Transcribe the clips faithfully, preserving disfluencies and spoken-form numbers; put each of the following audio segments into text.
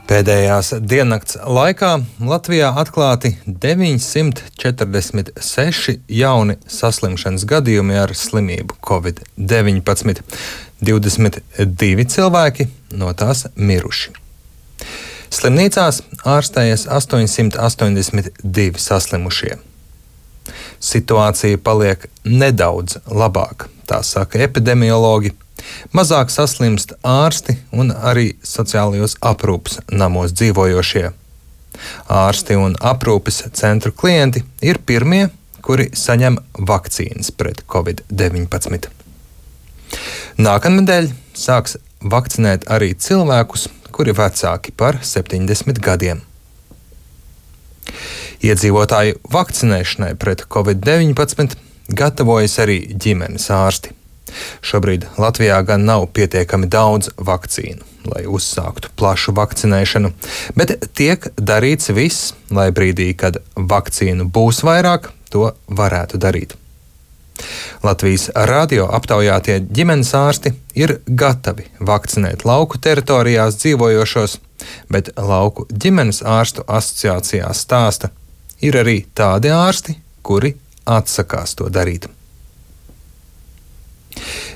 Pēdējās diennakts laikā Latvijā atklāti deviņsimt četrdesmit seši jauni saslimšanas gadījumi ar slimību covid deviņpadsmit. divdesmit divi cilvēki no tās miruši. Slimnīcās ārstējas astoņsimt astoņdesmit divi saslimušie. Situācija paliek nedaudz labāka, tā saka epidemiologi. Mazāk saslimst ārsti un arī sociālajos aprūpes namos dzīvojošie. Ārsti un aprūpes centru klienti ir pirmie, kuri saņem vakcīnas pret covid deviņpadsmit. Nākamnedēļ sāks vakcinēt arī cilvēkus, kuri vecāki par septiņdesmit gadiem. Iedzīvotāju vakcinēšanai pret covid deviņpadsmit gatavojas arī ģimenes ārsti. Šobrīd Latvijā gan nav pietiekami daudz vakcīnu, lai uzsāktu plašu vakcinēšanu, bet tiek darīts viss, lai brīdī, kad vakcīnu būs vairāk, to varētu darīt. Latvijas radio aptaujātie ģimenes ārsti ir gatavi vakcinēt lauku teritorijās dzīvojošos, bet Lauku ģimenes ārstu asociācijā stāsta, ir arī tādi ārsti, kuri atsakās to darīt.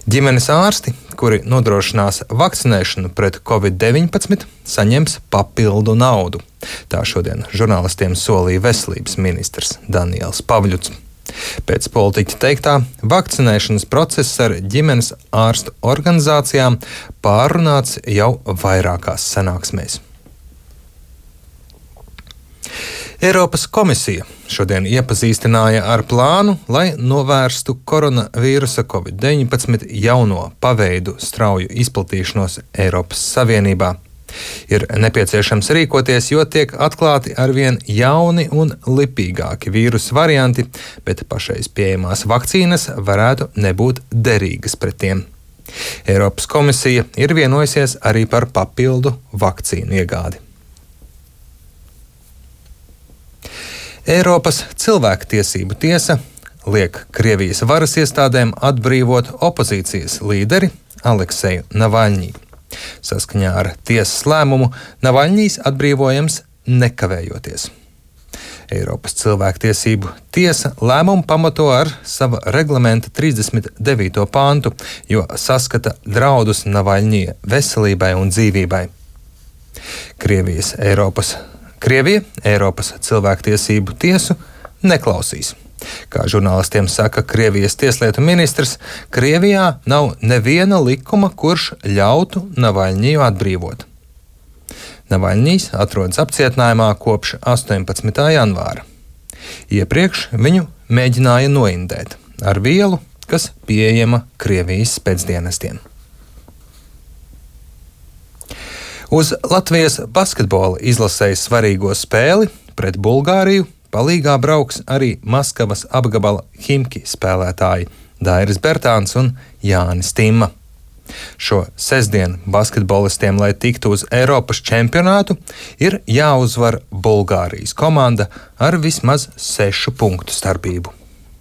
Ģimenes ārsti, kuri nodrošinās vakcinēšanu pret covid deviņpadsmit, saņems papildu naudu. Tā šodien žurnālistiem solīja veselības ministrs Daniels Pavļuts. Pēc politiķa teiktā, vakcinēšanas process ar ģimenes ārstu organizācijām pārunāts jau vairākās sanāksmēs. Eiropas komisija šodien iepazīstināja ar plānu, lai novērstu koronavīrusa covid deviņpadsmit jauno paveidu strauju izplatīšanos Eiropas Savienībā. Ir nepieciešams rīkoties, jo tiek atklāti arvien jauni un lipīgāki vīrusu varianti, bet pašreiz pieejamās vakcīnas varētu nebūt derīgas pret tiem. Eiropas komisija ir vienojusies arī par papildu vakcīnu iegādi. Eiropas cilvēktiesību tiesa liek Krievijas varas iestādēm atbrīvot opozīcijas līderi Alekseju Navaļņī. Saskaņā ar tiesas lēmumu Navaļņīs atbrīvojams nekavējoties. Eiropas cilvēktiesību tiesa lēmumu pamato ar sava reglamenta trīsdesmit devīto pāntu, jo saskata draudus Navaļņija veselībai un dzīvībai. Krievijas Eiropas Krievija Eiropas cilvēktiesību tiesu neklausīs. Kā žurnālistiem saka Krievijas tieslietu ministrs, Krievijā nav neviena likuma, kurš ļautu Navaļņiju atbrīvot. Navaļņijs atrodas apcietinājumā kopš astoņpadsmitā janvāra. Iepriekš viņu mēģināja noindēt ar vielu, kas pieejama Krievijas spēcdienestiem. Uz Latvijas basketbola izlasējas svarīgo spēli pret Bulgāriju palīgā brauks arī Maskavas apgabala Himki spēlētāji Dairis Bertāns un Jānis Timma. Šo sestdienu basketbolistiem, lai tiktu uz Eiropas čempionātu, ir jāuzvar Bulgārijas komanda ar vismaz sešu punktu starpību.